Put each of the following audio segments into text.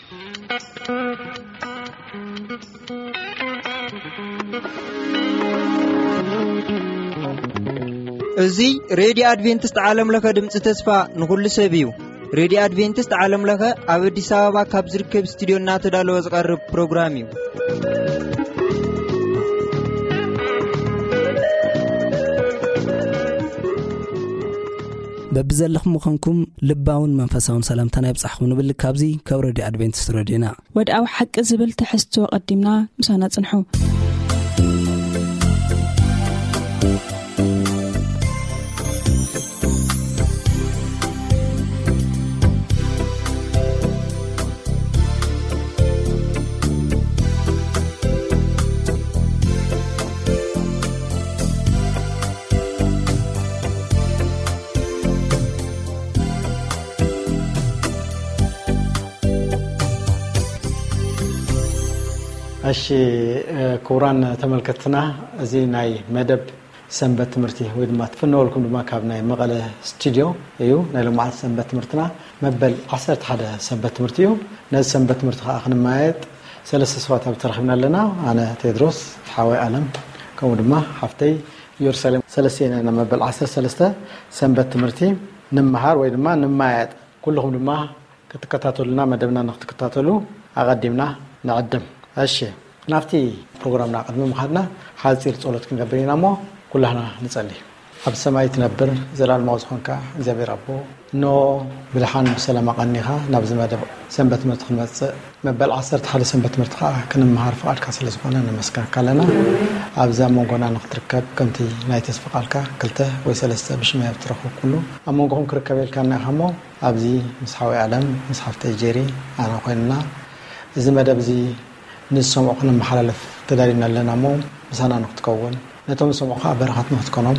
እዚ ሬድዮ ኣድቬንቲስት ዓለም ለኸ ድምፂ ተስፋ ንኹሉ ሰብ እዩ። ሬድዮ ኣድቬንቲስት ዓለም ለኸ ኣብ ኣዲስ ኣበባ ካብ ዝርከብ ስቱዲዮ እናተዳለወ ዝቐርብ ፕሮግራም እዩ። በብዘለኹም ምዃንኩም ልባውን መንፈሳውን ሰላምታና ይብጻሕኩም ንብል። ካብዚ ካብ ሬድዮ ኣድቬንቲስት ሬድዮና። ወድኣዊ ሓቂ ዝብል ትሕዝቶ ቀዲምና ምሳና ጽንሑ። እሺ፣ ክቡራን ተመልከትና፣ እዚ ናይ መደብ ሰንበት ትምህርቲ ወይ ድማ ትፍነወልኩም ድማ ካብ ናይ መቐለ ስቱዲዮ እዩ። ናይ ሎማዓት ሰንበት ትምህርትና መበል ዓሰርተ ሓደ ሰንበት ትምህርቲ እዩ። ነዚ ሰንበት ትምህርቲ ከዓ ክንመያየጥ ሰለስተ ሰባት ኣብ ተረኺብና ኣለና። ኣነ ቴድሮስ፣ ሓወይ ኣለም፣ ከምኡ ድማ ሓፍተይ ኢየሩሳሌም። ሰለስተ ኢና መበል ዓሰርተ ሰለስተ ሰንበት ትምህርቲ ንምሃር ወይ ድማ ንመያየጥ። ኩልኹም ድማ ክትከታተሉና፣ መደብና ንክትከታተሉ ኣቐዲምና ንዕድም። እሺ፣ ናብቲ ፕሮግራምና ቅድሚ ምኻድና ሓፂር ጸሎት ክንገብር ኢና እሞ ኩላህና ንጸሊ። ኣብ ሰማይ ትነብር ዘላለማዊ ዝኾንካ እግዚኣብሔር ኣቦ፣ እንሆ ብድሓን ብሰላም ኣቐኒኻ ናብዚ መደብ ሰንበት ትምህርቲ ክንመጽእ፣ መበል ዓሰርተ ሓደ ሰንበት ትምህርቲ ከዓ ክንምሃር ፍቓድካ ስለ ዝኾነ ነመስግነካ ኣለና። ኣብዛ መንጎና ንክትርከብ ከምቲ ናይ ተስፋ ቃልካ ክልተ ወይ ሰለስተ ብሽመይ ኣብ ትረኽቡ ኩሉ ኣብ መንጎኹም ክርከብ ኢልካና ኢኻ እሞ ኣብዚ ምስ ሓወይ ኣለም፣ ምስ ሓፍተይ ጄሪ፣ ኣነ ኮይንና፣ እዚ መደብ እዚ ንዝሰምዑ ክነመሓላልፍ ተዳሊና ኣለና እሞ፣ ምሳና ንክትከውን፣ ነቶም ዝሰምዑ ከዓ በረኸት ንክትኮኖም፣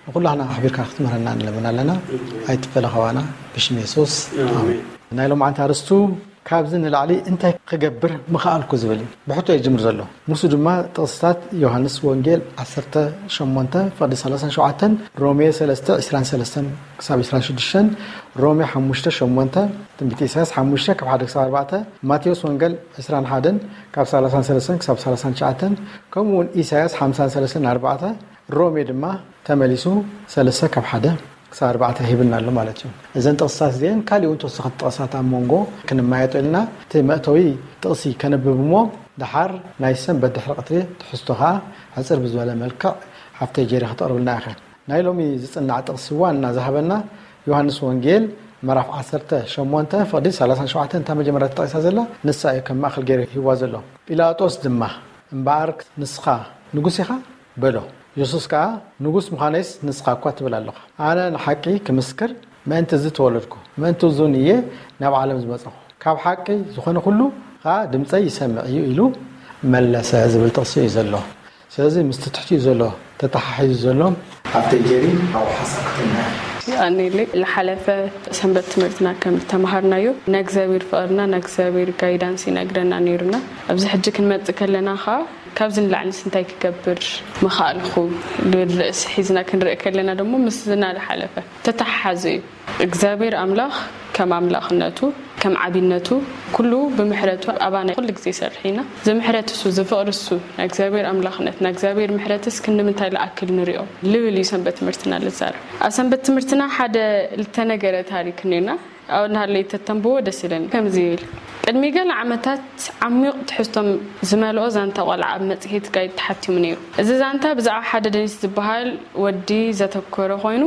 ንኩላህና ኣሕቢርካ ክትምህረና ንለምን ኣለና። ኣይትፈለ ካባና፣ ብሽም የሱስ። ኣሜን። ኣሜን። ናይ ሎማዓንቲ ኣርስቱ፣ ካብዚ ንላዕሊ እንታይ ክገብር ምኸኣልኩ ዝብል እዩ። ብሕቶ እዩ ጅምር ዘሎ። ንሱ ድማ ጥቕስታት ዮሃንስ ወንጌል ዓሰርተ ሸሞንተ ፍቕዲ ሰላሳን ሸውዓተን፣ ሮሜ ሰለስተ ዕስራን ሰለስተን ክሳብ ዕስራን ሽዱሽተን፣ ሮሜ ሓሙሽተ ሸሞንተ፣ ትንቢት ኢሳያስ ሓሙሽተ ካብ ሓደ ክሳብ ኣርባዕተ፣ ማቴዎስ ወንጌል ዕስራን ሓደን ካብ ሰላሳን ሰለስተን ክሳብ ሰላሳን ትሽዓተን፣ ከምኡ እውን ኢሳያስ ሓምሳን ሰለስተን ኣርባዕተ፣ ሮሜ ድማ ተመሊሱ ሰለስተ ካብ ሓደ ክሳብ ኣርባዕተ ሂብና ኣሎ ማለት እዩ። እዘን ጥቕስታት እዚአን ካሊእ እውን ተወሰኸቲ ጥቕስታት ኣብ መንጎ ክንመያየጦ ኢልና እቲ መእተዊ ጥቕሲ ከነብብ እሞ፣ ደሓር ናይ ሰንበት ድሕሪ ቀትሪ ትሕዝቶ ኸዓ ሕጽር ብዝበለ መልክዕ ሓፍተይ ጀሪ ከተቕርብልና ኢኸ። ናይ ሎሚ ዝጽናዕ ጥቕሲ ዋና ዝሃበና ዮሃንስ ወንጌል ምዕራፍ ዓሰርተ ሸሞንተ ፍቕዲ ሰላሳን ሸውዓተን እታ መጀመርያ ተጠቒሳ ዘላ ንሳ እዩ ከም ማእከል ገይሩ ሂብዋ ዘሎ። ጲላጦስ ድማ፣ እምበኣር ንስኻ ንጉስ ኢኻ? በሎ። የሱስ ከኣ፣ ንጉስ ምዃነይስ ንስኻ እኳ ትብል ኣለኻ። ኣነ ንሓቂ ክምስክር ምእንቲ እዚ ተወለድኩ፣ ምእንቲ እዚውን እየ ናብ ዓለም ዝመጸኹ። ካብ ሓቂ ዝኾነ ኩሉ ኸኣ ድምጸይ ይሰምዕ እዩ ኢሉ መለሰ ዝብል ጥቕሲ እዩ ዘሎ። ስለዚ ምስቲ ትሕቲኡ ዘሎ ተተሓሒዙ ዘሎ። ኣብተይ ጀሪ ኣብኡ ሓሳብ ክትልና። ኣኔሌ፣ ዝሓለፈ ሰንበት ትምህርትና ከም ዝተምሃርናዮ፣ ናይ እግዚኣብሔር ፍቕርና ናይ እግዚኣብሔር ጋይዳንስ ይነግረና ነይሩና። ኣብዚ ሕጂ ክንመጽእ ከለና ኸኣ ካብዚ ንላዕሊስ እንታይ ክገብር ምኽኣልኩ ዝብል ርእሲ ሒዝና ክንርኢ ከለና ደሞ ምስዚ ዝሓለፈ ተተሓሓዙ እዩ። እግዚኣብሔር ኣምላኽ ከም ኣምላኽነቱ፣ ከም ዓቢነቱ፣ ኩሉ ብምሕረቱ ኣባና ኩሉ ግዜ ይሰርሕ ኢና። እዚ ምሕረት እሱ፣ እዚ ፍቕሪ እሱ፣ ናይ እግዚኣብሔር ኣምላኽነት፣ ናይ እግዚኣብሔር ምሕረትስ ክንዲ ምንታይ ዝኣክል ንሪኦ ልብል እዩ ሰንበት ትምህርትና ልዛረብ። ኣብ ሰንበት ትምህርትና ሓደ ልተነገረ ታሪክ እኒኦና። ኣብ እናሃለይ ተተንብቦ ደስ ይለኒ። ከምዚ ይብል፣ ቅድሚ ገለ ዓመታት ዓሚቕ ትሕዝቶ ዝመልኦ ዛንታ ቆልዓ ኣብ መጽሔት ጋይድ ተሓቲሙ ነይሩ። እዚ ዛንታ ብዛዕባ ሓደ ደኒስ ዝበሃል ወዲ ዘተኮረ ኮይኑ፣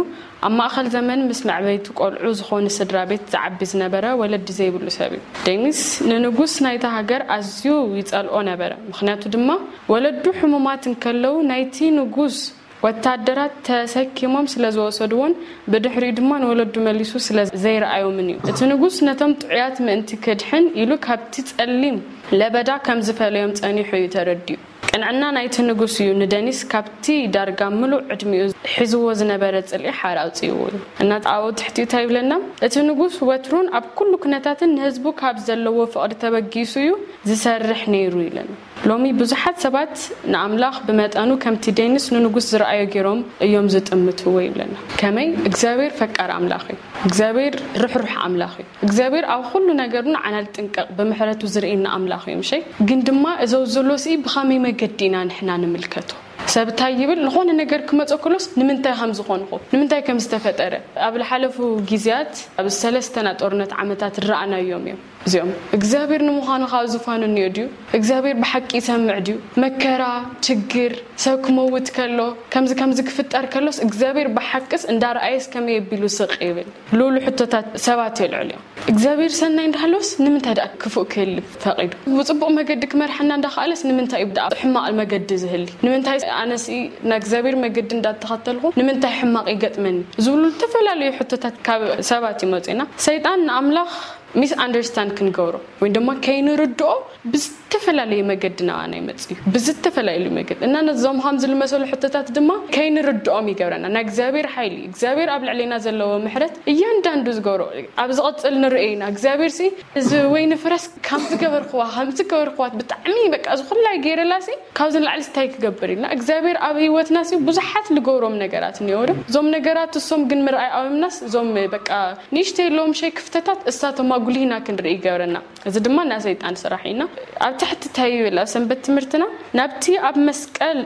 ኣብ ማእከል ዘመን ምስ መዕበይቲ ቆልዑ ዝኾኑ ስድራ ቤት ዝዓቢ ዝነበረ ወለዲ ዘይብሉ ሰብ እዩ። ደኒስ ንንጉስ ናይታ ሃገር ኣዝዩ ይጸልኦ ነበረ። ምኽንያቱ ድማ ወለዱ ሕሙማት እንከለዉ ናይቲ ንጉስ ወታደራት ተሰኪሞም ስለ ዝወሰድዎን ብድሕሪኡ ድማ ንወለዱ መሊሱ ስለ ዘይረኣዮምን እዩ። እቲ ንጉስ ነቶም ጥዑያት ምእንቲ ክድሕን ኢሉ ካብቲ ጸሊም ለበዳ ከም ዝፈለዮም ጸኒሑ እዩ ተረዲኡ። ቅንዕና ናይቲ ንጉስ እዩ ንደኒስ ካብቲ ዳርጋ ምሉእ ዕድሚኡ ሒዝዎ ዝነበረ ጽልኢ ሓራ ኣውጺእዎ እዩ። እና ኣብኡ ትሕቲኡ እንታይ ይብለና? እቲ ንጉስ ወትሩን ኣብ ኩሉ ኩነታትን ንህዝቡ ካብ ዘለዎ ፍቕሪ ተበጊሱ እዩ ዝሰርሕ ነይሩ ይብለና። ሎሚ ብዙሓት ሰባት ንኣምላኽ ብመጠኑ ከምቲ ዴኒስ ንንጉስ ዝረኣዮ ገይሮም እዮም ዝጥምትዎ ይብለና። ከመይ እግዚኣብሔር ፈቃር ኣምላኽ እዩ። እግዚኣብሔር ርሕሩሕ ኣምላኽ እዩ። እግዚኣብሔር ኣብ ኩሉ ነገሩ ንዓና ዝጥንቀቕ ብምሕረቱ ዝርእየና ኣምላኽ እዩ ምሸይ። ግን ድማ እዘው ዘሎ ስኢ ብኸመይ መገዲ ኢና ንሕና ንምልከቶ? ሰብ እንታይ ይብል? ዝኾነ ነገር ክመፀ ከሎስ ንምንታይ ከም ዝኾንኹ፣ ንምንታይ ከም ዝተፈጠረ ኣብ ዝሓለፉ ግዜያት ኣብ ሰለስተና ጦርነት ዓመታት ዝረኣናዮም እዮም። እዚኦም እግዚኣብሔር ንምዃኑ ካብ ዝፋኑ እኒኦ ድዩ? እግዚኣብሔር ብሓቂ ይሰምዕ ድዩ? መከራ፣ ችግር፣ ሰብ ክመውት ከሎ፣ ከምዚ ከምዚ ክፍጠር ከሎስ እግዚኣብሔር ብሓቅስ እንዳረኣየስ ከመይ ኣቢሉ ስቕ ይብል? ልኡሉ ሕቶታት ሰባት የልዕሉ እዮም። እግዚኣብሔር ሰናይ እንዳሃለውስ ንምንታይ ደኣ ክፉእ ክህሊ ፈቒዱ? ብፅቡቕ መገዲ ክመርሐና እንዳኸኣለስ ንምንታይ እዩ ደኣ ሕማቕ መገዲ ዝህሊ? ንምንታይ ኣነስ ንእግዚኣብሔር መገዲ እንዳተኸተልኹ ንምንታይ ሕማቕ ይገጥመኒ? ዝብሉ ዝተፈላለዩ ሕቶታት ካብ ሰባት ይመፁ ኢና። ሰይጣን ንኣምላኽ ሚስ ኣንደርስታንድ ክንገብሮ ወይ ድማ ከይንርድኦ ብዝተፈላለየ መገዲ ናባና ይመጽእ እዩ። ብዝተፈላለዩ መገዲ እና ነዞም ከምዚ ዝመሰሉ ሕቶታት ድማ ከይንርድኦም ይገብረና። ናይ እግዚኣብሔር ሓይሊ፣ እግዚኣብሔር ኣብ ልዕሌና ዘለዎ ምሕረት እያንዳንዱ ዝገብሮ ኣብ ዝቐጽል ንርእየና። እግዚኣብሔር ሲ እዚ ወይኒ ፍረስ ከም ዝገበርክዋ ከም ዝገበርክዋ ብጣዕሚ በቃ እዚ ኩላይ ገይረላ ሲ ካብዚ ንላዕሊ እንታይ ክገብር ኢልና እግዚኣብሔር ኣብ ህይወትና ሲ ብዙሓት ልገብሮም ነገራት እኒኦ ዶ እዞም ነገራት እሶም ግን ምርኣይ ኣውምናስ እዞም በቃ ንእሽተይ ኣለዎም ሸይ ክፍተታት እሳቶም ኣጉሊህና ክንርኢ ይገብረና። እዚ ድማ ናይ ሰይጣን ስራሕ ኢና። ኣብ ትሕቲ እንታይ ይብል ኣብ ሰንበት ትምህርትና ናብቲ ኣብ መስቀል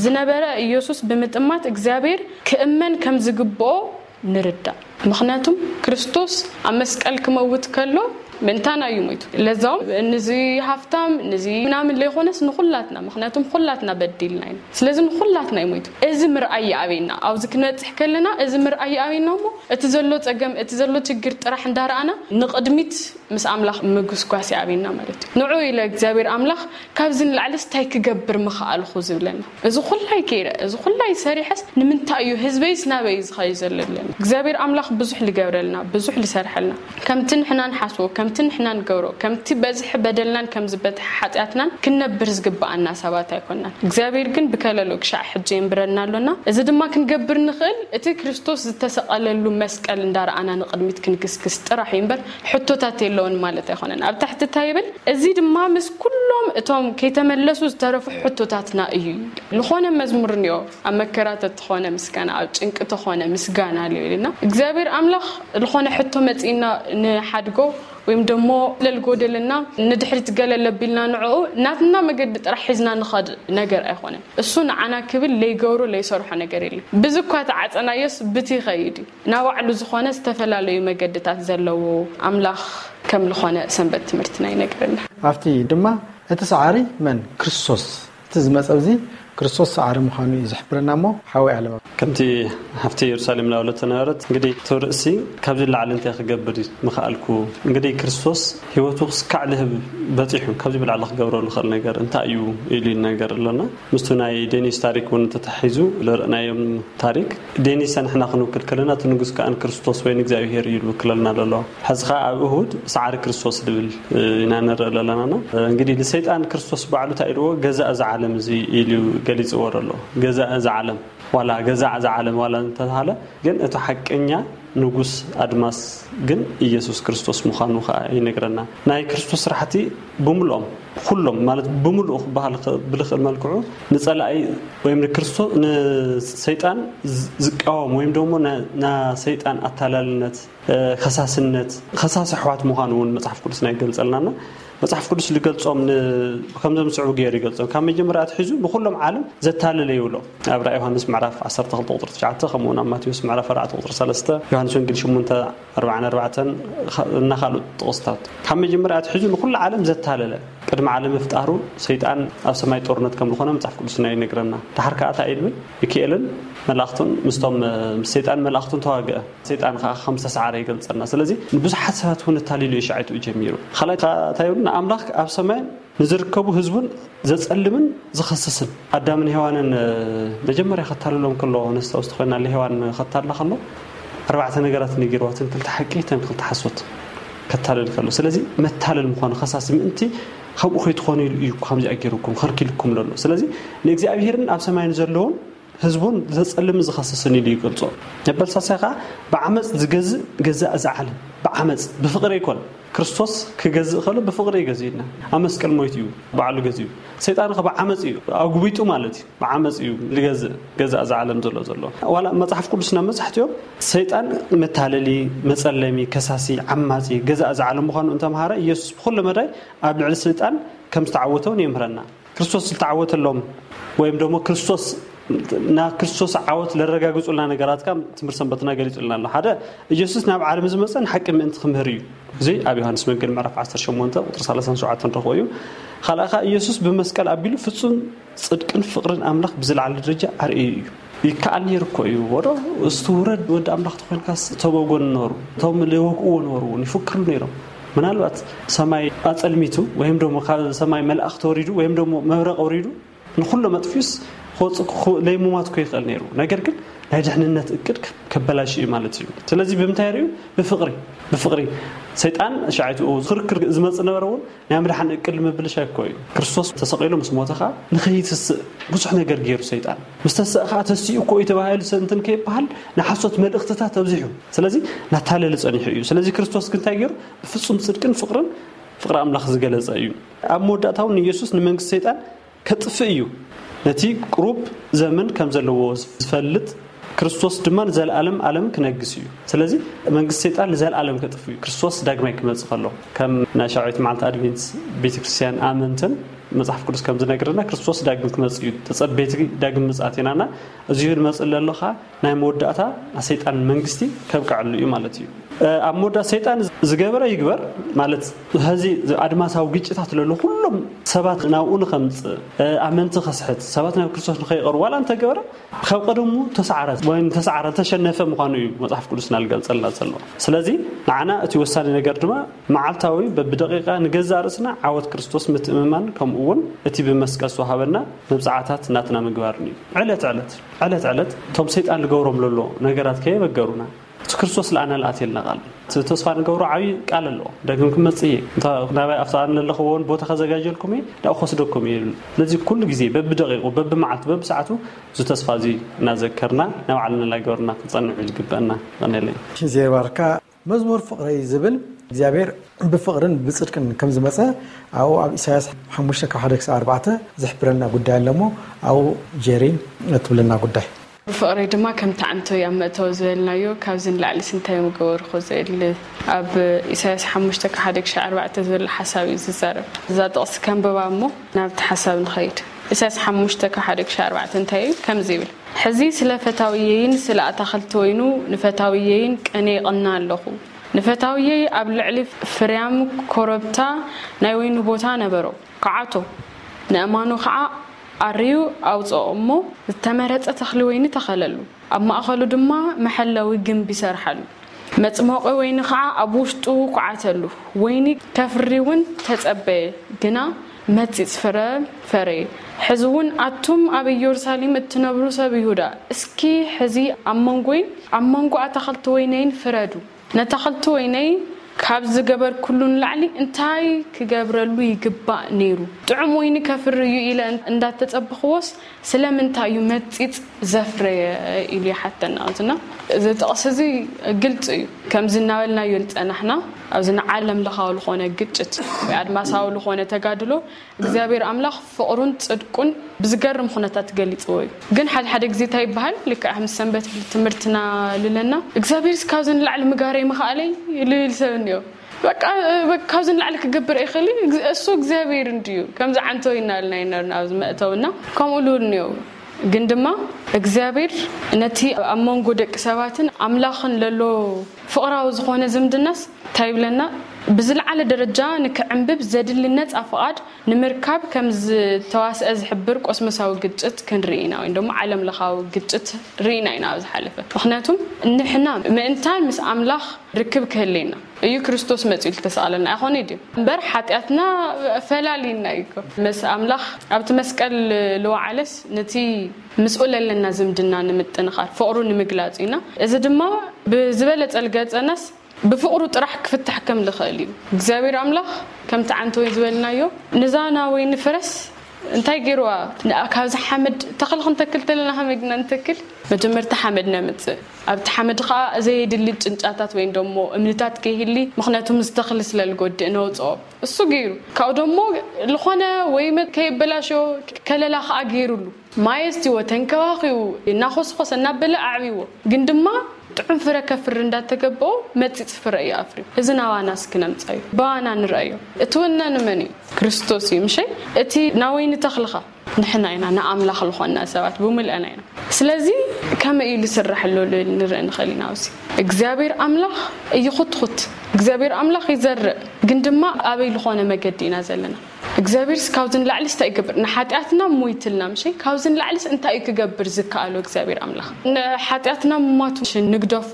ዝነበረ ኢየሱስ ብምጥማት እግዚኣብሔር ክእመን ከም ዝግብኦ ንርዳእ። ምኽንያቱም ክርስቶስ ኣብ መስቀል ክመውት ከሎ ምእንታና እዩ ሞይቱ። ለዛውም ንዚ ሃፍታም ንዚ ምናምን ለይኮነስ ንኹላትና፣ ምኽንያቱም ኩላትና በዲልና ኢና። ስለዚ ንኹላትና እዩ ሞይቱ። እዚ ምርኣይ ይኣበየና። ኣብዚ ክንበፅሕ ከለና እዚ ምርኣይ ይኣበየና እሞ እቲ ዘሎ ፀገም እቲ ዘሎ ችግር ጥራሕ እንዳረኣና ንቕድሚት ምስ ኣምላኽ ምጉስጓስ ይኣብየና ማለት እዩ። ንዑ ኢለ እግዚኣብሔር ኣምላኽ ካብዚ ንላዕልስ እንታይ ክገብር ምኽኣልኹ ዝብለና። እዚ ኩላይ ገይረ እዚ ኩላይ ሰሪሐስ ንምንታይ እዩ ህዝበይስ ናበይ እዩ ዝኸዩ ዘሎ ይብለና። እግዚኣብሔር ኣምላኽ ብዙሕ ልገብረልና ብዙሕ ልሰርሐልና ከምቲ ንሕና ንሓስቦ ከምቲ ንሕና ንገብሮ ከምቲ በዝሒ በደልናን ከም ዝበትሐ ሓጢኣትናን ክንነብር ዝግብኣና ሰባት ኣይኮናን። እግዚኣብሔር ግን ብከለሎ ክሻዕ ሕጂ የንብረና ኣሎና። እዚ ድማ ክንገብር ንኽእል እቲ ክርስቶስ ዝተሰቐለሉ መስቀል እንዳረኣና ንቕድሚት ክንግስግስ ጥራሕ እዩ እምበር ሕቶታት የለውን ማለት ኣይኮነን። ኣብ ታሕቲ እንታይ ይብል? እዚ ድማ ምስ ኩሎም እቶም ከይተመለሱ ዝተረፉ ሕቶታትና እዩ። ዝኾነ መዝሙር እኒኦ ኣብ መከራ ተትኾነ ምስጋና ኣብ ጭንቂ ተኾነ ምስጋና ኣሎ ኢልና እግዚኣብሔር ኣምላኽ ዝኾነ ሕቶ መፂእና ንሓድጎ ወይም ደሞ ለልጎደልና ንድሕሪት ገለ ለቢልና ንዕኡ ናትና መገዲ ጥራሕ ሒዝና ንኸድ ነገር ኣይኮነን። እሱ ንዓና ክብል ለይገብሮ ለይሰርሖ ነገር የለን። ብዝኳ ተዓፀናዮስ ብቲ ይኸይድ እዩ። ናባዕሉ ዝኾነ ዝተፈላለዩ መገድታት ዘለዎ ኣምላኽ ከም ዝኾነ ሰንበት ትምህርትና ይነግረና። ኣብቲ ድማ እቲ ሰዓሪ መን ክርስቶስ እቲ ዝመጸ እዚ ክርስቶስ ሰዓሪ ምዃኑ እዩ ዝሕብረና እሞ ሓወይ ኣለማ። ከምቲ ሓፍቲ ኢየሩሳሌም ናብለት ነበረት እንግዲህ እቲ ርእሲ ካብዚ ላዕሊ እንታይ ክገብር ምኽኣልኩ? እንግዲህ ክርስቶስ ህይወቱ ክስካዕ ልህብ በፂሑ ካብዚ ብላዕሊ ክገብሮ ልኽእል ነገር እንታይ እዩ ኢሉ ይነገር ኣሎና። ምስቱ ናይ ዴኒስ ታሪክ እውን ተታሒዙ ልርእናዮም ታሪክ ዴኒስ ንሕና ክንውክል ከለና እቲ ንጉስ ከኣ ንክርስቶስ ወይ ንእግዚኣብሔር እዩ ልውክለልና ዘሎ። ሕዚ ኸዓ ኣብ እሁድ ሰዓሪ ክርስቶስ ልብል ኢና ንርኢ ኣለና። እንግዲህ ንሰይጣን ክርስቶስ ባዕሉ እንታይ ኢልዎ? ገዛእ እዚ ዓለም እዚ ኢሉ ገሊጽዎ ዘሎ። ገዛእ እዚ ዓለም ዋላ ገዛእ እዚ ዓለም ዋላ እንተተባሃለ ግን እቲ ሓቀኛ ንጉስ ኣድማስ ግን ኢየሱስ ክርስቶስ ምዃኑ ከዓ ይነግረና። ናይ ክርስቶስ ስራሕቲ ብምልኦም ኩሎም ማለት ብምልኡ ክበሃል ብልኽእል መልክዑ ንጸላኢ ወይም ንክርስቶስ ንሰይጣን ዝቃወም ወይም ደሞ ና ሰይጣን ኣታላልነት ከሳስነት ከሳሲ ኣሕዋት ምዃኑ እውን መጽሓፍ ቅዱስና ይገልጸልናና። መጽሓፍ ቅዱስ ዝገልጾም ከምዞም ዝስዕቡ ገይሩ ይገልጾም። ካብ መጀመርያ ኣትሒዙ ንኹሎም ዓለም ዘታለለ ይብሎ። ኣብ ራእይ ዮሃንስ ምዕራፍ ዓሰርተ ክልተ ቁጥሪ ትሽዓተ ከምኡ እውን ኣብ ማቴዎስ ምዕራፍ ኣርባዕተ ቁጥሪ ሰለስተ፣ ዮሃንስ ወንጌል ሸሞንተ ኣርባዓን ኣርባዕተን እና ካልኦት ጥቕስታት ካብ መጀመርያ ኣትሒዙ ንኹሉ ዓለም ዘታለለ ቅድሚ ዓለም ምፍጣሩ ሰይጣን ኣብ ሰማይ ጦርነት ከም ዝኾነ መጽሓፍ ቅዱስና ይነግረና። ድሓር ከኣ እንታይ እዩ ዝብል? ሚካኤልን መላእኽቱን ምስቶም ምስ ሰይጣን መላእኽቱን ተዋግአ። ሰይጣን ከዓ ከም ዝተሰዓረ ይገልጸልና። ስለዚ ንብዙሓት ሰባት እውን ኣታሊሉ እዩ ሻዕ ትኡ ጀሚሩ። ካልኣይ ከዓ እንታይ ይብሉ? ንኣምላኽ ኣብ ሰማይ ንዝርከቡ ህዝቡን ዘጸልምን ዝኸስስን ኣዳምን ሄዋንን መጀመርያ ከታልሎም ከሎ ነስታውስቲ ኮይና ለሄዋን ከታልላ ከሎ ኣርባዕተ ነገራት ነጊርዋትን ክልተ ሓቂ ተን ክልተ ሓሶት ከታልል ከሎ ስለዚ መታለል ምዃኑ ከሳሲ ምእንቲ ከምኡ ከይትኾኑ ኢሉ እዩ ከምዚኣ ገይሩኩም ከልኪልኩም ዘሎ። ስለዚ ንእግዚኣብሔርን ኣብ ሰማይን ዘለውን ህዝቡን ዘጸልምን ዝኸስስን ኢሉ ይገልጾ። መበል ሳልሳይ ከኣ ብዓመጽ ዝገዝእ ገዛእ እዚ ዓለም። ብዓመጽ፣ ብፍቕሪ ኣይኮን። ክርስቶስ ክገዝእ ከሎ ብፍቕሪ እዩ ገዚእና። ኣብ መስቀል ሞይቱ እዩ ባዕሉ ገዚኡ። ሰይጣን ከ ብዓመጽ እዩ ኣጉቢጡ ማለት እዩ። ብዓመጽ እዩ ዝገዝእ ገዛእ እዚ ዓለም ዘሎ ዘሎ። ዋላ መጽሓፍ ቅዱስና መብዛሕትኦም ሰይጣን መታለሊ፣ መጸለሚ፣ ከሳሲ፣ ዓማጺ፣ ገዛእ እዚ ዓለም ምዃኑ እንተምሃረ ኢየሱስ ብኹሉ መዳይ ኣብ ልዕሊ ሰይጣን ከም ዝተዓወተ እውን የምህረና። ክርስቶስ ዝተዓወተሎም ወይም ደሞ ክርስቶስ ናብ ክርስቶስ ዓወት ለረጋግጹልና ነገራት ካብ ትምህርቲ ሰንበትና ገሊጹልና ኣሎ። ሓደ ኢየሱስ ናብ ዓለም ዝመጸ ንሓቂ ምእንቲ ክምህር እዩ። እዚ ኣብ ዮሃንስ ወንጌል ምዕራፍ ዓሰርተ ሸሞንተ ቁጽሪ ሰላሳን ሸውዓተን ንረኽቦ እዩ። ካልኣ ኸኣ ኢየሱስ ብመስቀል ኣቢሉ ፍጹም ጽድቅን ፍቕርን ኣምላኽ ብዝለዓለ ደረጃ ኣርእዩ እዩ። ይከኣል ነይሩ እኮ እዩ። ወዶ እስቲ ውረድ ወዲ ኣምላኽ ተኾይንካስ እቶም ኣብ ጎኒ ነበሩ፣ እቶም ዝወግእዎ ነበሩ እውን ይፍክሩ ነይሮም። ምናልባት ሰማይ ኣጸልሚቱ ወይም ደሞ ካብ ሰማይ መልኣኽ ተወሪዱ ወይም ደሞ መብረቕ ወሪዱ ንኹሎም ኣጥፊኡስ ክወጽእ ክኹ-፣ ለይሙማት እኮ ይኽእል ነይሩ። ነገር ግን ናይ ድሕንነት እቅድ ከ-፣ ከበላሽ እዩ ማለት እዩ። ስለዚ ብምንታይ ርእዩ? ብፍቕሪ። ብፍቕሪ። ሰይጣን ሻዒቱ ክርክር ዝመጽእ ነበረ እውን ናይ ምድሓን እቅድ ምብልሻ እኮ እዩ። ክርስቶስ ተሰቒሉ ምስ ሞተ ኸዓ ንኸይትስእ ብዙሕ ነገር ገይሩ ሰይጣን። ምስ ተስእ ኸዓ ተሲኡ እኮ እዩ ተባሂሉ ሰንትን ከይበሃል ንሓሶት መልእኽትታት ኣብዚሑ። ስለዚ ናታለለ ጸኒሑ እዩ። ስለዚ ክርስቶስ ግን እንታይ ገይሩ? ብፍጹም ጽድቅን ፍቕርን ፍቕሪ ኣምላኽ ዝገለጸ እዩ። ኣብ መወዳእታ እውን ንኢየሱስ ንመንግስቲ ሰይጣን ከጥፍእ እዩ። ነቲ ቅሩብ ዘመን ከም ዘለዎ ዝፈልጥ ክርስቶስ ድማ ንዘለኣለም ኣለም ክነግስ እዩ። ስለዚ መንግስቲ ሰይጣን ንዘለኣለም ከጥፍ እዩ። ክርስቶስ ዳግማይ ክመጽእ ከሎ ከም ናይ ሻውዒት መዓልቲ ኣድቬንት ቤተክርስትያን ኣመንትን መጽሓፍ ቅዱስ ከም ዝነግረና ክርስቶስ ዳግም ክመጽእ እዩ። ተጸበይቲ ዳግም ምጽኣት ኢናና እዚ ንመጽእ ለሎ ኸዓ ናይ መወዳእታ ናይ ሰይጣን መንግስቲ ከብቅዐሉ እዩ ማለት እዩ። እ፣ ኣብ መወዳእታ ሰይጣን ዝገበረ ይግበር ማለት ሀዚ ኣድማሳዊ ግጭታት ለሎ ኩሎም ሰባት ናብኡ ንኸምጽእ፣ እ፣ ኣመንቲ ከስሕት፣ ሰባት ናብ ክርስቶስ ንኸይቐርቡ ዋላ እንተገበረ ካብ ቀደሙ ተሰዓረ ወይ ተሰዓረ ተሸነፈ ምዃኑ እዩ መጽሓፍ ቅዱስና ዝገልጸልና ዘሎ። ስለዚ ንዓና እቲ ወሳኒ ነገር ድማ መዓልታዊ በብደቂቃ ንገዛእ ርእስና ዓወት ክርስቶስ ምትእምማን ከምኡ እውን እቲ ብመስቀል ዝተዋሃበና መብጽዓታት ናትና ምግባርን እዩ። ዕለት ዕለት፣ ዕለት ዕለት እቶም ሰይጣን ዝገብሮም ለሎ ነገራት ከየበገሩና እቲ ክርስቶስ ለኣና ልኣትየልና ቃል እቲ ተስፋ ንገብሮ ዓብዪ ቃል ኣለዎ። ደግም ክመጽእ እየ። እንታ ናባይ ኣብቲ ኣነ ዘለኽዎ እውን ቦታ ከዘጋጀልኩም እየ፣ ናብኡ ክወስደኩም እየ ይብል። ስለዚ ኩሉ ግዜ በብደቂቁ፣ በብመዓልቱ፣ በብሰዓቱ እዚ ተስፋ እዚ እናዘከርና ንባዕልና እናገበርና ክንጸንዕ እዩ ዝግበአና። ቀኔለይ። ሽንዜ ባርካ መዝሙር ፍቕረይ ዝብል እግዚኣብሔር ብፍቕርን ብጽድቅን ከም ዝመጸ ኣብኡ ኣብ ኢሳያስ ሓሙሽተ ካብ ሓደ ክሳብ ኣርባዕተ ዝሕብረልና ጉዳይ ኣሎ እሞ ኣብኡ ጀሪ እትብለና ጉዳይ። ፍቕረይ ድማ ከም ተዓንቶ እዩ ኣብ መእተዊ ዝበልናዮ፣ ካብዚ ንላዕሊስ እንታይ ምገበርኩ ዝብል ኣብ ኢሳያስ ሓሙሽተ ካብ ሓደ ክሻዕ ኣርባዕተ ዝብል ሓሳብ እዩ ዝዛረብ። እዛ ጥቕሲ ከንብባ እሞ ናብቲ ሓሳብ ንኸይድ። ኢሳያስ ሓሙሽተ ካብ ሓደ ክሻዕ ኣርባዕተ እንታይ እዩ? ከምዚ ይብል፣ ሕዚ ስለ ፈታውየይን ስለ ኣታኽልቲ ወይኑ ንፈታውየይን ቀንየ እቕና ኣለኹ። ንፈታውየይ ኣብ ልዕሊ ፍርያም ኮረብታ ናይ ወይኑ ቦታ ነበሮ፣ ክዓቶ፣ ንእማኑ ኸዓ ኣርዩ ኣውጽኦ እሞ፣ ዝተመረጸ ተኽሊ ወይኒ ተኸለሉ፣ ኣብ ማእከሉ ድማ መሐለዊ ግምቢ ሰርሓሉ። መጽመቂ ወይኒ ኸዓ ኣብ ውሽጡ ኩዓተሉ። ወይኒ ከፍሪ እውን ተጸበየ፣ ግና መጺጽ ፍረ ፈረየ። ሕዚ እውን ኣቱም ኣብ ኢየሩሳሌም እትነብሩ ሰብ ይሁዳ፣ እስኪ ሕዚ ኣብ መንጎይን ኣብ መንጎ ኣታኽልቲ ወይነይን ፍረዱ። ነታኽልቲ ወይነይ ካብ ዝገበርኩሉ ንላዕሊ እንታይ ክገብረሉ ይግባእ ነይሩ? ጥዑም ወይኒ ከፍሪ እዩ ኢለ እንዳተጸበኽዎስ ስለምንታይ እዩ መጺጽ ዘፍረየ? ኢሉ ይሓተና። እዝና እዚ ጥቕሲ እዚ ግልጺ እዩ። ከምዚ እናበልናዮ ዝጸናሕና ኣብዚ ንዓለም ለኻዊ ዝኾነ ግጭት ወይ ኣድማሳዊ ዝኾነ ተጋድሎ እግዚኣብሔር ኣምላኽ ፍቕሩን ጽድቁን ብዝገርም ኩነታት ገሊጽዎ እዩ። ግን ሓደ ሓደ ግዜ እንታይ ይበሃል? ልክዕ ከም ሰንበት ትምህርትና ልለና እግዚኣብሔርስ ካብዚ ንላዕሊ ምጋር ኣይምኸኣለይ ልብል ሰብ እኒኦ። በቃ፣ በቃ ካብዚ ንላዕሊ ክገብር ኣይኽእል እዩ። እሱ እግዚኣብሔር እንድዩ። ከምዚ ዓንቶ ይናልና ይነርና ኣብዚ መእተውና ከምኡ ልብል እኒኦ። ግን ድማ እግዚኣብሔር ነቲ ኣብ መንጎ ደቂ ሰባትን ኣምላኽን ለሎ ፍቕራዊ ዝኾነ ዝምድናስ እንታይ ይብለና? ብዝለዓለ ደረጃ ንክዕንብብ ዘድሊ ነጻ ፍቓድ ንምርካብ ከም ዝተዋስአ ዝሕብር ቆስመሳዊ ግጭት ክንርኢ ኢና፣ ወይ ደሞ ዓለም ለኻዊ ግጭት ርኢና ኢና ኣብ ዝሓለፈ። ምኽንያቱም ንሕና ምእንታን ምስ ኣምላኽ ርክብ ክህልየና እዩ ክርስቶስ መጺኡ ዝተሰቐለልና ኣይኾነ ድዩ? እምበር ሓጢኣትና ፈላሊና እዩ እኮ። ምስ ኣምላኽ ኣብቲ መስቀል ልወዓለስ ነቲ ምስኡ ለለና ዝምድና ንምጥንኻር ፍቕሩ ንምግላጽ ኢና። እዚ ድማ ብዝበለጸ ልገልጸናስ ብፍቕሩ ጥራሕ ክፍታሕ ከም ልኽእል እዩ። እግዚኣብሔር ኣምላኽ ከምቲ ዓንተወይ ዝበልናዮ ንዛና ወይ ንፍረስ እንታይ ገይርዋ? ንኣ ካብዚ ሓመድ ተኽሊ ክንተክል ተለና ከመይ ግና ንተክል? መጀመርታ ሓመድ ነምጽእ። ኣብቲ ሓመድ ኸዓ ዘየድሊ ጭንጫታት ወይም ደሞ እምንታት ከይህሊ፣ ምኽንያቱ ምስ ተኽሊ ስለ ልጎድእ ነውፅኦ። እሱ ገይሩ ካብኡ ደሞ ልኾነ ወይ መ- ከየበላሾ ከለላ ኸዓ ገይሩሉ፣ ማይ ኣስቲዎ፣ ተንከባኺቡ፣ እናኾስኾሰ እናበለ ኣዕብዎ። ግን ድማ ጥዑም ፍረ ከፍሪ እንዳተገበኦ መጺጽ ፍረ እዩ ኣፍርዩ። እዚ ናባና እስኪ ነምጻዮ፣ ባና ንረኣዮ። እቲ ወና ንመን እዩ? ክርስቶስ እዩ ምሸ? እቲ ናወይኒ ተኽልኻ ንሕና ኢና ንኣምላኽ ዝኾንና ሰባት ብምልአና ኢና። ስለዚ ከመይ እዩ ዝስራሕ ኣሎ ንርኢ ንኽእል ኢና። ኣብዚ እግዚኣብሔር ኣምላኽ ይኹትኹት። እግዚኣብሔር ኣምላኽ ይዘርእ፣ ግን ድማ ኣበይ ዝኾነ መገዲ ኢና ዘለና? እግዚኣብሔርስ ካብዚ ንላዕሊስ እንታይ ይገብር? ንሓጢኣትና ሞይትልና ምሸ? ካብዚ ንላዕሊስ እንታይ እዩ ክገብር ዝከኣሎ እግዚኣብሔር ኣምላኽ? ንሓጢኣትና ምማቱ ምሸ ንግደፎ?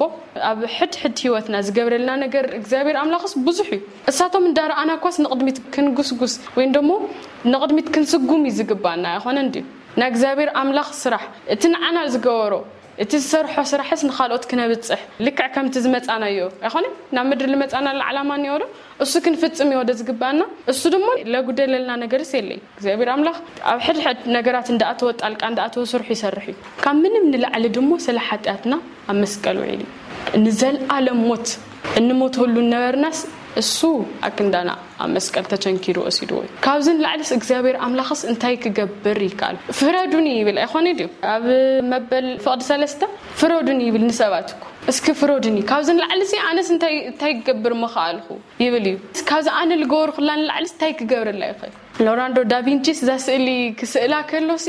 ኣብ ሕድ ሕድ ህይወትና ዝገብረልና ነገር እግዚኣብሔር ኣምላኽስ ብዙሕ እዩ። እሳቶም እንዳረኣና እኳስ ንቕድሚት ክንጉስጉስ ወይም ደሞ ንቕድሚት ክንስጉም እዩ ዝግባና ኣይኾነን ድዩ? ናይ እግዚኣብሔር ኣምላኽ ስራሕ፣ እቲ ንዓና ዝገበሮ፣ እቲ ዝሰርሖ ስራሕስ ንኻልኦት ክነብጽሕ፣ ልክዕ ከምቲ ዝመጻናዮ ኣይኾነን? ናብ ምድሪ ዝመጻናሉ ዓላማ እኒኦ ዶ? እሱ ክንፍጽም እዩ ወደ ዝግባና። እሱ ድማ ለጉደለልና ነገርስ የለይ። እግዚኣብሔር ኣምላኽ ኣብ ሕድሕድ ነገራት እንዳኣተወ፣ ጣልቃ እንዳኣተወ ስርሑ ይሰርሕ እዩ። ካብ ምንም ንላዕሊ ድሞ ስለ ሓጢኣትና ኣብ መስቀል ውዒሉ እዩ። ንዘለኣለም ሞት እንሞተሉ ነበርናስ እሱ ኣክንዳና ኣብ መስቀል ተቸንኪሩ ወሲድዎ እዩ። ካብዚ ንላዕሊስ እግዚኣብሔር ኣምላኽስ እንታይ ክገብር ይከኣል? ፍረዱኒ ይብል ኣይኾነ ድዩ? ኣብ መበል ፍቕዲ ሰለስተ ፍረዱኒ ይብል ንሰባት እኮ። እስኪ ፍረዱኒ፣ ካብዚ ንላዕሊሲ ኣነስ እንታይ እንታይ ክገብር ምኸኣልኹ? ይብል እዩ። ካብዚ ኣነ ልገበርኩላ ንላዕሊስ እንታይ ክገብረላ ይኽእል? ሎራንዶ ዳቪንቺስ እዛ ስእሊ ክስእላ ከሎሲ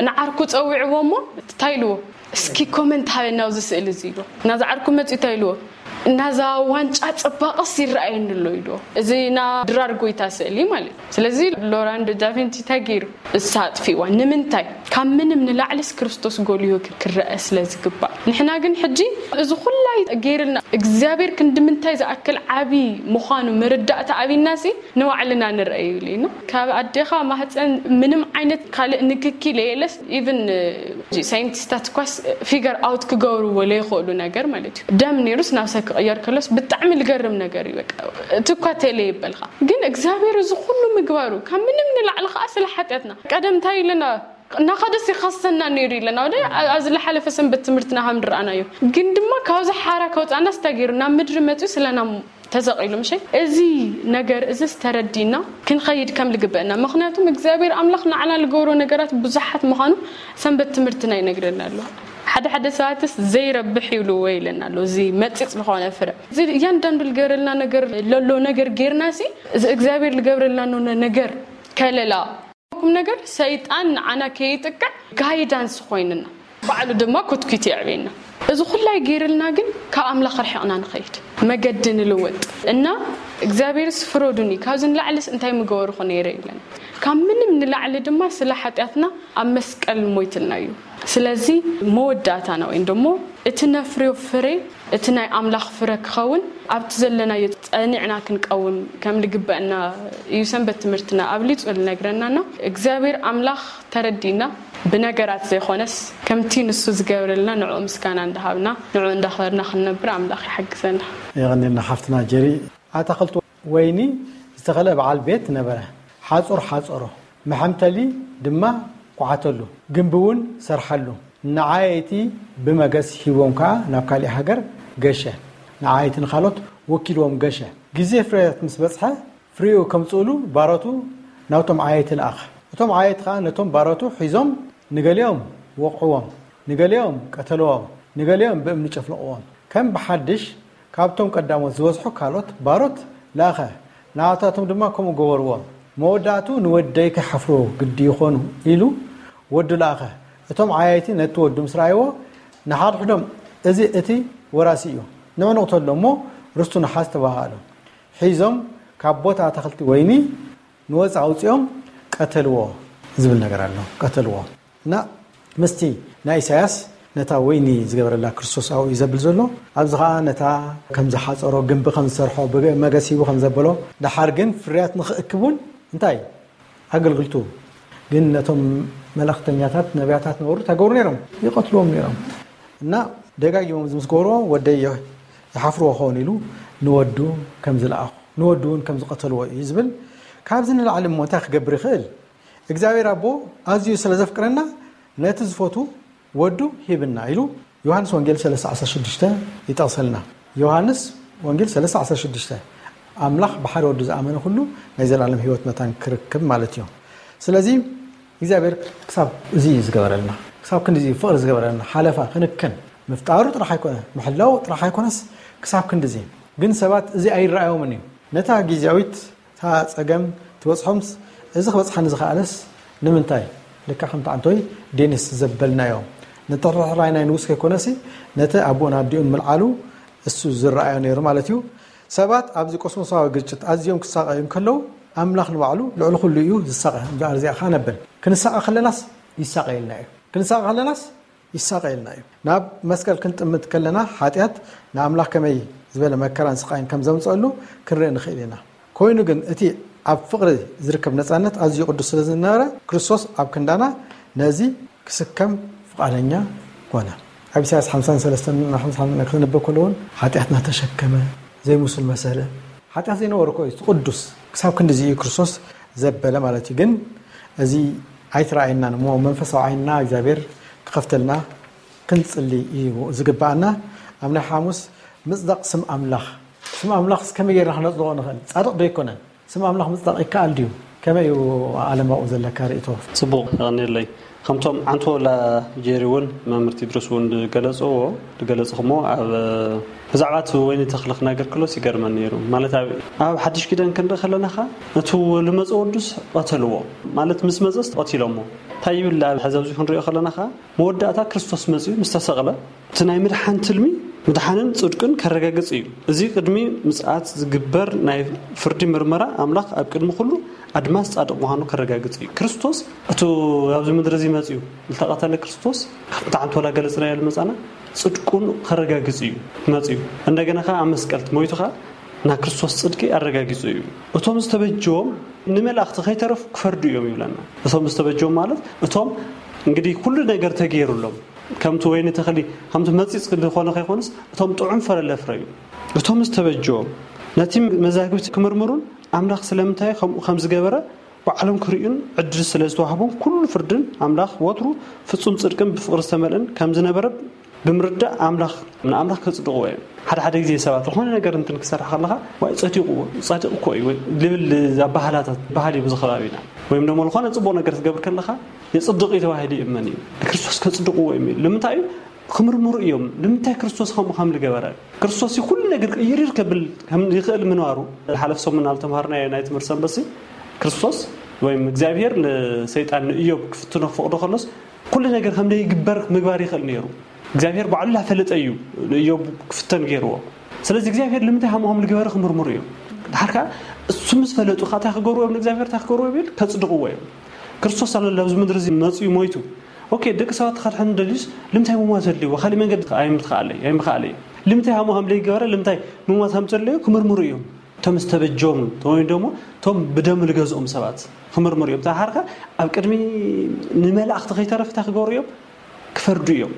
ንዓርኩ ጸዊዕዎ እሞ እንታይ ኢልዎ? እስኪ ኮመንት ሃበና ኣብዚ ስእሊ እዚ ኢልዎ። ናዛ ዓርኩ መጺኡ እንታይ ኢልዎ? ናዛ ዋንጫ ጽባቐስ ይረኣየኒ ኣሎ ኢልዎ። እዚ ና ድራር ጎይታ ስእሊ ማለት እዩ። ስለዚ ሎራንዶ ዳቪንቺ እንታይ ገይሩ? እሳ ኣጥፊእዋ። ንምንታይ? ካብ ምንም ንላዕሊስ ክርስቶስ ጎልሁ ክረአ ስለ ዝግባእ። ንሕና ግን ሕጂ እዚ ኩላይ ገይርልና እግዚኣብሔር ክንዲ ምንታይ ዝኣክል ዓቢ ምዃኑ ምርዳእታ ኣቢናሲ ንባዕልና ንርአ ይብል እዩ። ካብ ኣዴኻ ማህፀን ምንም ዓይነት ካልእ ንክኪ ለየለስ ኢቭን ሳይንቲስታት እኳስ ፊገር ኣውት ክገብርዎ ለይኽእሉ ነገር ማለት እዩ። ደም ነይሩስ ናብ ሰብ ክቕየር ከሎስ ብጣዕሚ ልገርም ነገር እዩ። በቃ እቲ እኳ ተለ ይበልካ ግን እግዚኣብሔር እዚ ኩሉ ምግባሩ ካብ ምንም ንላዕሊ ከዓ ስለ ሓጢኣትና ቀደም እንታይ ኢልና እናኸደስ ይኸሰና ነይሩ ኢለና ወደ ኣብዚ ዝሓለፈ ሰንበት ትምህርትና ከም ንረኣናዮ ግን ድማ ካብዚ ሓራ ከውፃና ስታ ገይሩ ናብ ምድሪ መፅኡ ስለና ተሰቒሉ ምሸ እዚ ነገር እዚ ዝተረዲና ክንኸይድ ከም ልግበአና ምክንያቱም እግዚኣብሔር ኣምላኽ ንዓና ልገብሮ ነገራት ብዙሓት ምዃኑ ሰንበት ትምህርትና ይነግረና ኣሎ ሓደ ሓደ ሰባትስ ዘይረብሕ ይብልዎ ይለና ኣሎ እዚ መፂፅ ዝኾነ ፍረ እዚ እያንዳንዱ ልገብረልና ነገር ለሎ ነገር ጌርና ሲ እዚ እግዚኣብሔር ልገብረልና ኖነ ነገር ከለላ ኩም ነገር ሰይጣን ንዓና ከይጥቅዕ ጋይዳንስ ኮይንና ባዕሉ ድማ ኩትኩት የዕቤና እዚ ኩላይ ገይርልና ግን ካብ ኣምላኽ ርሒቕና ንኸይድ መገዲ ንልወጥ እና እግዚኣብሔርስ ፍረዱኒ ካብዚ ንላዕልስ እንታይ ምገበርኹ ነይረ ይብለና ካብ ምንም ንላዕሊ ድማ ስለ ሓጢኣትና ኣብ መስቀል ሞይትልና እዩ ስለዚ መወዳእታና ወይም ደሞ እቲ ነፍርዮ ፍሬ እቲ ናይ ኣምላኽ ፍረ ክኸውን ኣብቲ ዘለናዮ ጸኒዕና ክንቀውም ከም ልግበአና እዩ ሰንበት ትምህርትና ኣብሊጹ ልነግረናና እግዚኣብሔር ኣምላኽ ተረዲና ብነገራት ዘይኮነስ ከምቲ ንሱ ዝገብረልና ንዕኡ ምስጋና እንዳሃብና ንዕኡ እንዳኽበርና ክንነብር ኣምላኽ ይሓግዘና። የቐንየልና ሓፍትና ጀሪ። ኣታኽልቲ ወይኒ ዝተኸለ በዓል ቤት ነበረ። ሓጹር ሓጸሮ፣ መሐምተሊ ድማ ኳዓተሉ፣ ግምቢ እውን ሰርሐሉ። ንዓየይቲ ብመገስ ሂቦም ከኣ ናብ ካሊእ ሃገር ገሸ። ንዓየይቲ ንኻልኦት ወኪልዎም ገሸ። ግዜ ፍርያት ምስ በጽሐ ፍሪኡ ከምጽኡሉ ባሮቱ ናብቶም ዓየይቲ ለኣኸ። እቶም ዓየይቲ ከኣ ነቶም ባሮቱ ሒዞም ንገሊኦም ወቕዕዎም፣ ንገሊኦም ቀተልዎም፣ ንገሊኦም ብእምኒ ጨፍለቕዎም። ከም ብሓድሽ ካብቶም ቀዳሞት ዝበዝሑ ካልኦት ባሮት ለኣኸ፣ ንኣታቶም ድማ ከምኡ ገበርዎም። መወዳእትኡ ንወደይ ከይሓፍርዎ ግዲ ይኾኑ ኢሉ ወዱ ለኣኸ። እቶም ዓያይቲ ነቲ ወዱ ምስ ረኣይዎ ንሓድሕዶም፣ እዚ እቲ ወራሲ እዩ፣ ንዑ ንቕተሎ እሞ ርስቱ ንሓዝ ተባሃሃሉ። ሒዞም ካብ ቦታ ኣታኽልቲ ወይኒ ንወጻኢ ኣውጺኦም ቀተልዎ ዝብል ነገር ኣሎ። ቀተልዎ። እና ምስቲ ናይ ኢሳያስ ነታ ወይኒ ዝገበረላ ክርስቶስ ኣብኡ እዩ ዘብል ዘሎ። ኣብዚ ኸኣ ነታ ከም ዝሓጸሮ ግንቢ ከም ዝሰርሖ ብመገስ ሂቡ ከም ዘበሎ ደሓር ግን ፍርያት ንኽእክብ እውን እንታይ ኣገልግልቱ ግን ነቶም መለኽተኛታት ነቢያታት ነበሩ እንታይ ገብሩ ነይሮም? ይቐትልዎም ነይሮም። እና ደጋጊሞም እዚ ምስ ገበርዎ ወደይ ይሓፍርዎ ክኸውን ኢሉ ንወዱ ከም ዝለኣኹ ንወዱ እውን ከም ዝቐተልዎ እዩ ዝብል። ካብዚ ንላዕሊ እሞ እንታይ ክገብር ይኽእል? እግዚኣብሔር ኣቦ ኣዝዩ ስለ ዘፍቅረና ነቲ ዝፈቱ ወዱ ሂብና ኢሉ ዮሃንስ ወንጌል ሰለስተ ዓሰርተ ሽዱሽተ ይጠቕሰልና። ዮሃንስ ወንጌል ሰለስተ ዓሰርተ ሽዱሽተ ኣምላኽ ብሓደ ወዱ ዝኣመነ ኩሉ ናይ ዘላለም ህይወት መታን ክርክብ ማለት እዩ። ስለዚ እግዚኣብሔር ክሳብ እዚ እዩ ዝገበረልና፣ ክሳብ ክንዲዚ ፍቕሪ ዝገበረልና፣ ሓለፋ ክንክን ምፍጣሩ ጥራሕ ኣይኮነ፣ ምሕላው ጥራሕ ኣይኮነስ፣ ክሳብ ክንዲዚ ግን ሰባት እዚ ኣይረኣዮምን እዩ። ነታ ግዜያዊት እታ ጸገም ትበጽሖምስ፣ እዚ ክበጽሓኒ ዝኸኣለስ ንምንታይ? ልክዕ ከምቲ ዓንቶይ ዴኒስ ዘበልናዮ፣ ንጥርሕራይ ናይ ንጉስ ከይኮነሲ፣ ነቲ ኣቦን ኣዲኡን ምልዓሉ እሱ ዝረኣዮ ነይሩ ማለት እዩ። ሰባት ኣብዚ ቆስሞሳዊ ግጭት ኣዝዮም ክሳቐዩ እንከለዉ፣ ኣምላኽ ንባዕሉ ልዕሊ ኩሉ እዩ ዝሳቐ። እምበኣር እዚኣ ከኣ ነብል። ክንሳቐ ከለናስ ይሳቐየልና እዩ። ክንሳቐ ከለናስ ይሳቐየልና እዩ። ናብ መስቀል ክንጥምት ከለና ሓጢኣት ንኣምላኽ ከመይ ዝበለ መከራን ስቓይን ከም ዘምጸሉ ክንርኢ ንኽእል ኢና። ኮይኑ ግን እቲ ኣብ ፍቕሪ ዝርከብ ነጻነት ኣዝዩ ቅዱስ ስለ ዝነበረ ክርስቶስ ኣብ ክንዳና ነዚ ክስከም ፍቓደኛ ኮነ። ኣብ ኢሳያስ ሓምሳን ሰለስተን ሓምሳን ክነንብብ ከለውን ሓጢኣትና ተሸከመ፣ ዘይምሱል መሰለ። ሓጢኣት ዘይነበሮ እኮ እዩ፣ እቲ ቅዱስ። ክሳብ ክንድዚ እዩ ክርስቶስ ዘበለ ማለት እዩ። ግን እዚ ኣይተረኣየናን እሞ መንፈሳዊ ዓይንና እግዚኣብሔር ክኸፍተልና ክንጽሊ እዩ ዝግብኣና። ኣብ ናይ ሓሙስ ምጽዳቕ ስም ኣምላኽ። ስም ኣምላኽ ከመይ ጌርና ክነጽድቖ ንኽእል? ጻድቕ ዶ ኣይኮነን? ስም ኣምላኽ ምጽዳቕ ይከኣል ድዩ? ከመይ እዩ ኣለማኡ ዘለካ ርእይቶ? ጽቡቕ፣ የቐንየለይ። ከምቶም ዓንቶ ላ ጄሪ እውን መምህር ቴድሮስ እውን ዝገለጽዎ፣ ዝገለጽኹሞ ኣብ ብዛዕባ እቲ ወይኒ ተኽሊ ክነገር ከሎስ ይገርመኒ ነይሩ። ማለት ኣብ፣ ኣብ ሓድሽ ኪዳን ክንርኢ ከለና ኸኣ እቲ ልመጸ ወዱስ ቀተልዎ። ማለት ምስ መጸስ ቀቲሎሞ። እንታይ ይብል ኣብ ሕዚ ኣብዚ ክንሪኦ ከለና ኸኣ መወዳእታ ክርስቶስ መጺኡ ምስ ተሰቕለ እቲ ናይ ምድሓን ትልሚ ምድሓንን ጽድቅን ከረጋግጽ እዩ። እዚ ቅድሚ ምጽኣት ዝግበር ናይ ፍርዲ ምርመራ ኣምላኽ ኣብ ቅድሚ ኩሉ ኣድማስ ጻድቕ ምዃኑ ከረጋግጽ እዩ። ክርስቶስ እቲ ኣብዚ ምድሪ እዚ መጺኡ ዝተቐተለ ክርስቶስ፣ ከምቲ ሓንቲ ወላ ገለጽናዮ ዝመጻና፣ ጽድቁን ከረጋግጽ እዩ መጺኡ። እንደገና ከኣ ኣብ መስቀል ሞይቱ ከኣ ናይ ክርስቶስ ጽድቂ ኣረጋጊጹ እዩ። እቶም ዝተበጀዎም ንመላእኽቲ ከይተረፉ ክፈርዱ እዮም ይብለና። እቶም ዝተበጀዎም ማለት እቶም እንግዲህ ኩሉ ነገር ተገይሩሎም፣ ከምቲ ወይኒ ተኽሊ፣ ከምቲ መጺጽ ዝኾነ ከይኮኑስ፣ እቶም ጥዑም ፍረ ለፍረዩ። እቶም ዝተበጀዎም ነቲ መዛግብቲ ክምርምሩን ኣምላኽ ስለምንታይ ከምኡ ከም ዝገበረ ባዕሎም ክርእዩን ዕድል ስለ ዝተዋህቦም፣ ኩሉ ፍርድን ኣምላኽ ወትሩ ፍጹም ጽድቅን ብፍቕሪ ዝተመልአን ከም ዝነበረ ብምርዳእ ኣምላኽ፣ ንኣምላኽ ከጽድቕዎ እዮም። ሓደ ሓደ ግዜ ሰባት ዝኾነ ነገር እንትን ክሰርሕ ከለኻ፣ "ዋይ፣ ጸዲቕዎ፣ ጻድቕ እኮ እዩ" ወይ ልብል ኣባህላታት፣ ባህሊ እዩ ብዙ ከባቢና። ወይም ደሞ ዝኾነ ጽቡቕ ነገር ትገብር ከለኻ፣ "የጽድቕ እዩ" ተባሂሉ ይእመን እዩ። ንክርስቶስ ከጽድቕዎ እዮም ኢሉ። ንምንታይ እዩ? ክምርምሩ እዮም። ንምንታይ ክርስቶስ ከምኡ ከም ዝገበረ? ክርስቶስ እዩ ኩሉ ነገር ቅይርይር ከብል ከም ይኽእል ምንባሩ። ዝሓለፈ ሰሙን ኣብ ተምሃርናዮ ናይ ትምህርቲ ሰንበት ሲ፣ ክርስቶስ ወይም እግዚኣብሔር ንሰይጣን ንእዮብ ክፍትኖ ክፈቕዶ ከሎስ፣ ኩሉ ነገር ከም ዘይግበር ምግባር ይኽእል ነይሩ። እግዚኣብሔር ባዕሉ እናፈለጠ እዩ ንእዮብ ክፍተን ገይርዎ። ስለዚ እግዚኣብሔር ንምንታይ ከምኡ ከም ዝገበረ ክምርምሩ እዮም። ድሓር ከኣ እሱ ምስ ፈለጡ ከኣ እንታይ ክገብሩ እዮም? ንእግዚኣብሔር እንታይ ክገብሩ እዮም? ኢል ከጽድቕዎ እዮም። ክርስቶስ ኣሎ ኣብዚ ምድሪ እዚ መጺኡ ሞይቱ። ኦኬ፣ ደቂ ሰባት ከድሕን ደልዩስ ልምንታይ ምሟት ዘድልይዎ? ካልእ መንገዲ ኣይምትኸኣለይ፣ ኣይምኸኣለይ። ልምንታይ ከምኡ ከም ዘይገበረ፣ ልምንታይ ምሟት ከም ዘድለዮ ክምርምሩ እዮም። እቶም ዝተበጀዎም ወይ ደሞ እቶም ብደሙ ዝገዝኦም ሰባት ክምርምሩ እዮም። ተሓርካ ኣብ ቅድሚ ንመላእኽቲ ከይተረፈ እንታይ ክገብሩ እዮም? ክፈርዱ እዮም።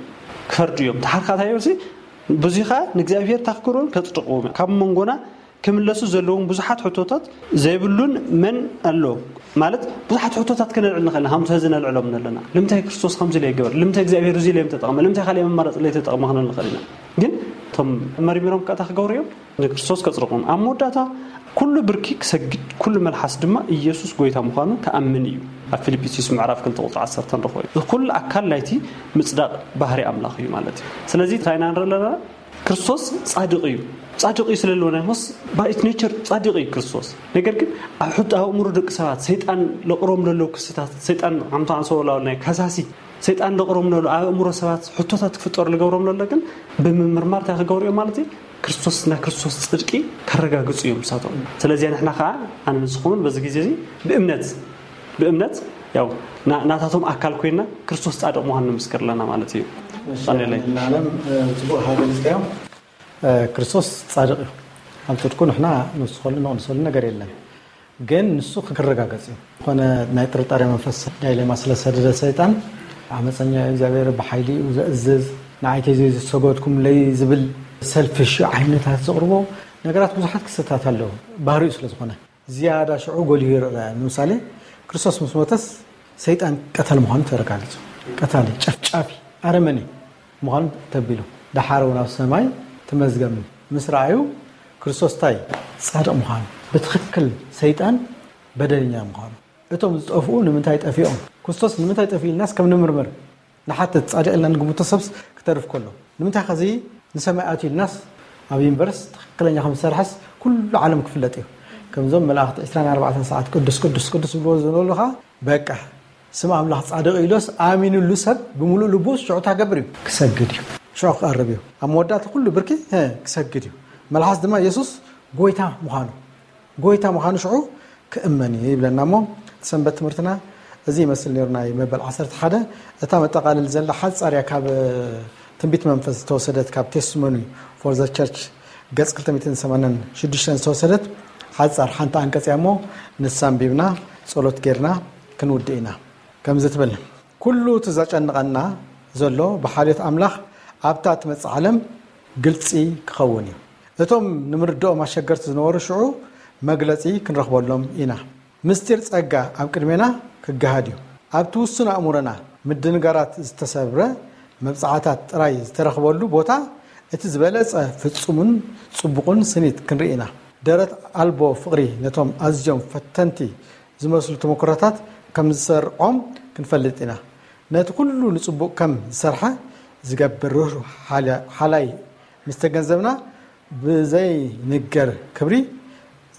ክፈርዱ እዮም። ተሓርካ እንታይ ይብል ሲ? ብዙይ ኸኣ ንእግዚኣብሔር እንታይ ክገብሩ እዮም? ከጽድቕዎም እዮም። ካብ መንጎና ክምለሱ ዘለዎም ብዙሓት ሕቶታት ዘይብሉን መን ኣሎ? ማለት ብዙሓት ሕቶታት ክነልዕል ንኽእል ኢና፣ ከምቲ ሕዚ ነልዕሎም ዘለና። ልምንታይ ክርስቶስ ከምዚ ኢለ ይገበር? ልምንታይ እግዚኣብሔር እዚ ኢለ እዮም ተጠቕመ? ልምንታይ ካልእ መማረፂ ኢለ ተጠቕመ ክንብል ንኽእል ኢና። ግን እቶም መርሚሮም ከኣ እንታይ ክገብሩ እዮም? ንክርስቶስ ከጽድቑም። ኣብ መወዳእታ ኩሉ ብርኪ ክሰግድ፣ ኩሉ መልሓስ ድማ ኢየሱስ ጎይታ ምዃኑ ክኣምን እዩ። ኣብ ፊልጵስዩስ ምዕራፍ ክልተ ቁጽሪ ዓሰርተ ንረኽቦ እዩ። ኩሉ ኣካል ናይቲ ምጽዳቕ ባህሪ ኣምላኽ እዩ ማለት እዩ። ስለዚ እንታይ ኢና ንርኢ ኣለና? ክርስቶስ ጻድቕ እዩ። ጻድቕ እዩ ስለ ዝብለና ይኾንስ፣ by its nature ጻድቕ እዩ ክርስቶስ። ነገር ግን ኣብ ሕቶ ኣእምሮ ደቂ ሰባት ሰይጣን ለቕሮም ለለዉ ክስታት፣ ሰይጣን ኣምታ ኣንሰወላው ናይ ከሳሲ ሰይጣን ለቕሮም ለለዉ ኣብ ኣእምሮ ሰባት ሕቶታት ክፍጠሩ ልገብሮም ለሎ ግን ብምምርማር እንታይ ክገብሩ እዮም ማለት እዩ? ክርስቶስ፣ ናይ ክርስቶስ ጽድቂ ከረጋግጹ እዮም ንሳቶም። ስለዚ ንሕና ከኣ ኣነ ንስኹምን በዚ ግዜ እዚ ብእምነት፣ ብእምነት ያው ና-፣ ናታቶም ኣካል ኮይና ክርስቶስ ጻድቕ ምዃኑ ንምስክር ኣለና ማለት እዩ። እሺ፣ ቀንየለይ። ንዓለም፣ እ፣ ጽቡቕ ሃገር ዝካዮም፣ እ፣ ክርስቶስ ጻድቕ እዩ። ኣብ ጽድቁ ንሕና ንውስኸሉ ንቕንሰሉ ነገር የለን። ግን ንሱ ክረጋገጽ እዩ። ዝኾነ ናይ ጥርጣሬ መንፈስ ዳይሌማ ስለ ዝሰደደ ሰይጣን፣ ዓመጸኛ እዩ፣ እግዚኣብሔር ብሓይሊ እዩ ዘእዝዝ፣ ንዓይ ተዘይዝሰገድኩምለይ ዝብል ሰልፊሽ ዓይነታት ዘቕርቦ ነገራት ብዙሓት ክስተታት ኣለዉ። ባህሪኡ ስለ ዝኾነ ዝያዳ ሽዑ ጎሊሁ ይረኣ። ንምሳሌ ክርስቶስ ምስ ሞተስ ሰይጣን ቀታል ምዃኑ ተረጋጊጹ። ቀታሊ፣ ጨፍጫፊ፣ ኣረመኔ ምዃኑ ተቢሉ። ደሓር እውን ኣብ ሰማይ ተመዝገብ ምስ ረኣዩ፣ ክርስቶስ እንታይ? ጻድቕ ምዃኑ። ብትኽክል ሰይጣን በደለኛ ምዃኑ። እቶም ዝጠፍኡ ንምንታይ ጠፊኦም? ክርስቶስ ንምንታይ ጠፊኡ ኢልናስ ከም ንምርምር ንሓትት። ጻድቕ ኢልና ንግምቶ ሰብስ ክተርፍ ከሎ። ንምንታይ ኸዚ ንሰማይ ኣትዩ ኢልናስ ኣብ ዩኒቨርስ ትኽክለኛ ከም ዝሰርሐስ ኩሉ ዓለም ክፍለጥ እዩ። ከምዞም መላእኽቲ ዕስራን ኣርባዕተን ሰዓት ቅዱስ፣ ቅዱስ፣ ቅዱስ ዝብልዎ ዝነበሩ ኸዓ በቃ ስም ኣምላኽ ጻድቕ ኢሎስ ኣሚኑሉ ሰብ ብምሉእ ልቡ ሽዑ እንታይ ክገብር እዩ? ክሰግድ እዩ። ሽዑ ክቐርብ እዩ። ኣብ መወዳእታ ኩሉ ብርኪ፣ እ፣ ክሰግድ እዩ። መልሓስ ድማ የሱስ ጎይታ ምዃኑ፣ ጎይታ ምዃኑ ሽዑ ክእመን እዩ ይብለና። እሞ ሰንበት ትምህርትና እዚ ይመስል ነይሩ፣ ናይ መበል ዓሰርተ ሓደ። እታ መጠቓልል ዘላ ሓጻር እያ፣ ካብ ትንቢት መንፈስ ዝተወሰደት፣ ካብ ቴስቲሞኒ ፎር ዘ ቸርች ገጽ ክልተ ሚእትን ሰማንያን ሽዱሽተን ዝተወሰደት ሓጻር ሓንቲ ኣንቀጽ እያ። እሞ ንሳ ኣንቢብና ጸሎት ጌርና ክንውድእ ኢና። ከምዚ ትብል፣ ኩሉ እቲ ዘጨንቐና ዘሎ ብሓልዮት ኣምላኽ ኣብታ ትመጽእ ዓለም ግልጺ ክኸውን እዩ። እቶም ንምርድኦም ኣሸገርቲ ዝነበሩ ሽዑ መግለጺ ክንረኽበሎም ኢና። ምስጢር ጸጋ ኣብ ቅድሜና ክገሃድ እዩ። ኣብቲ ውሱን ኣእምሮና ምድንጋራት ዝተሰብረ መብጽዓታት ጥራይ ዝተረኽበሉ ቦታ እቲ ዝበለጸ ፍጹምን ጽቡቕን ስኒት ክንርኢ ኢና። ደረት ኣልቦ ፍቕሪ ነቶም ኣዝዮም ፈተንቲ ዝመስሉ ተመክሮታት ከም ዝሰርዖም ክንፈልጥ ኢና። ነቲ ኩሉ ንጽቡቕ ከም ዝሰርሐ ዝገብር ርህሩህ ሓላ-፣ ሓላይ ምስ ተገንዘብና፣ ብዘይንገር ክብሪ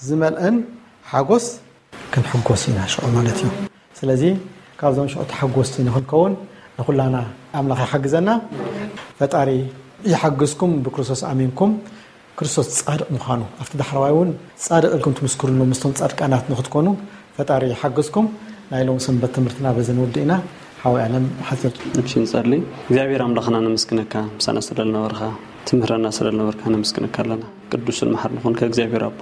ዝመልአን ሓጎስ ክንሕጎስ ኢና ሽዑ ማለት እዩ። ስለዚ ካብዞም ሽዑ ተሓጎስቲ ንኽንከውን ንኹላና ኣምላኽ ይሓግዘና። ፈጣሪ ይሓግዝኩም፣ ብክርስቶስ ኣሚንኩም ክርስቶስ ጻድቕ ምዃኑ ኣብቲ ዳሕረዋይ እውን ጻድቕ ኢልኩም ትምስክሩሉ ምስቶም ጻድቃናት ንኽትኮኑ ፈጣሪ ይሓግዝኩም። ናይ ሎም ሰንበት ትምህርትና በዚ ንውድእ ኢና። ሓወይ ኣለም ሓጺር። እሺ ንጸሊ። እግዚኣብሔር ኣምላኽና ነመስግነካ፣ ምሳና ስለ ዝነበርካ፣ ትምህረና ስለ ዝነበርካ ነመስግነካ ኣለና። ቅዱስን መሓርን ኾንካ እግዚኣብሔር ኣቦ።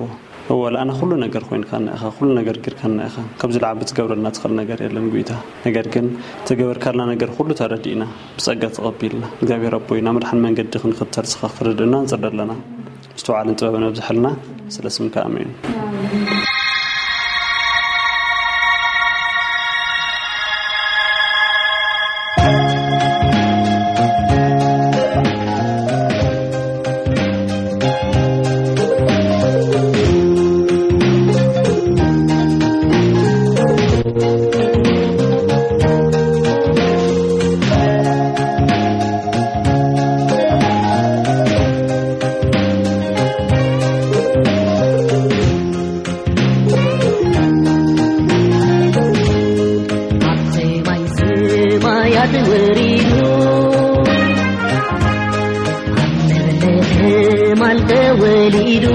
እወ፣ ለኣና ኩሉ ነገር ኮይንካና ኢኻ፣ ኩሉ ነገር ጌርካና ኢኻ። ካብዚ ለዓቢ ትገብረልና ትኽእል ነገር የለን ጒይታ። ነገር ግን ተገበርካልና ነገር ኩሉ ተረዲእና፣ ብጸጋ ተቐቢልና። እግዚኣብሔር ኣቦይ፣ ናብ መድሓን መንገዲ ክንኽተል ስኻ ክትርድእና ንጽሊ ኣለና። ምስትውዓልን ጥበብን ኣብዝሐልና፣ ስለ ስምካ ኣሜን። ኣብ ሰማይ ሰማያት ወሪዱ፣ ኣብ ለምለም ማል ተወሊዱ፣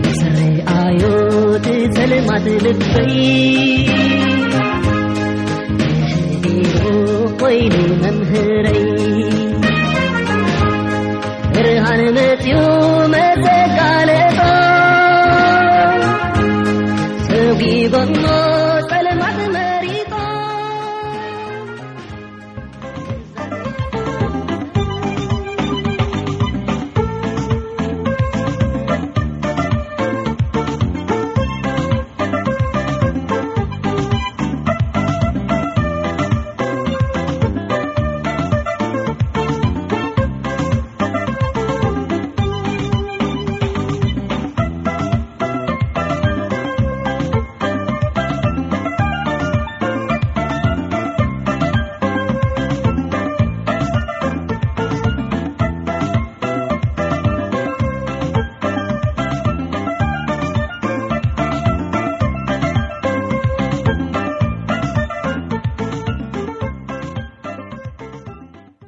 ምስ ረኣዮ እቲ ጸልማት ልበይ ተሸጊሩ ኮይኑ መምህረይ። ብርሃን መጽዩ መሰጋለጦ ሰጒጎሞ